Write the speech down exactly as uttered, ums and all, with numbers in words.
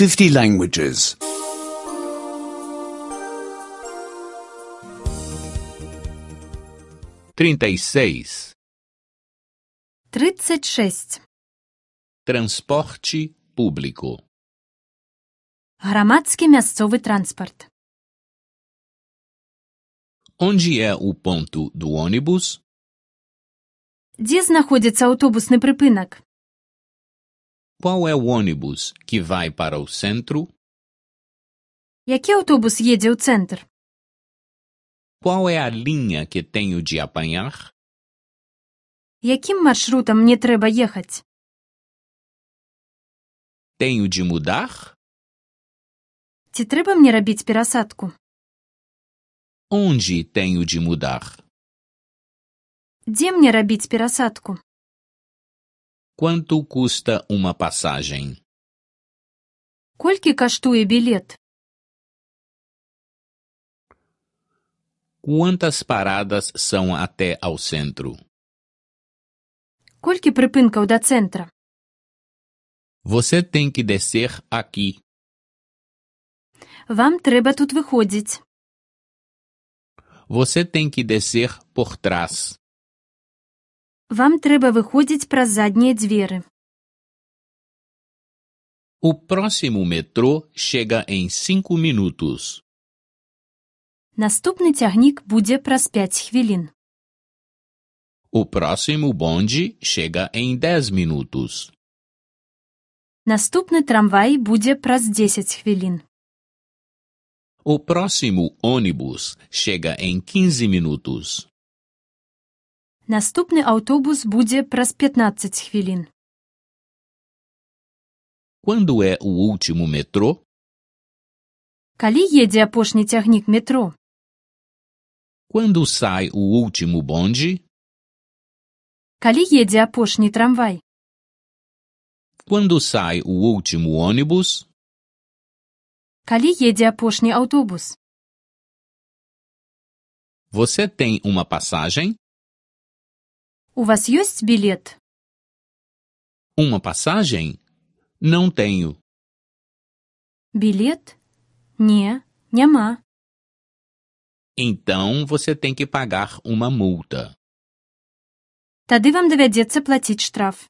fifty languages. trinta e seis. тридцать шесть. Transporte público. Громадський місцевий транспорт. Onde é o ponto do ônibus? Де знаходиться автобусний припинок? Qual é o ônibus que vai para o centro? Який автобус їде у центр? Qual é a linha que tenho de apanhar? Яким маршрутом мені треба їхати? Tenho de mudar? Ці треба мені робити пересадку? Onde tenho de mudar? Де мені робити пересадку? Quanto custa uma passagem? Колькі коштує білет? Quantas paradas são até ao centro? Колькі припинків до центра? Você tem que descer aqui. Вам треба тут виходити. Você tem que descer por trás. Вам треба виходити про задні двері. O próximo metrô chega em cinco minutos. Наступний тягнік буде праз п'ять хвилин. O próximo bonde chega em dez minutos. Наступний трамвай буде праз десять хвилин. O próximo ônibus chega em quinze minutos. Наступний автобус буде праз п'ятнадцять хвилин. Quando é o último metrô? Коли їде апошній тягнік метро? Quando sai o último bonde? Коли їде апошній трамвай? Quando sai o último ônibus? Коли їде апошній автобус? Você tem uma passagem? У вас є білет? Uma passagem? Não tenho. Білет? Ні, нема. Então você tem que pagar uma multa. Тоді вам доведеться платити штраф.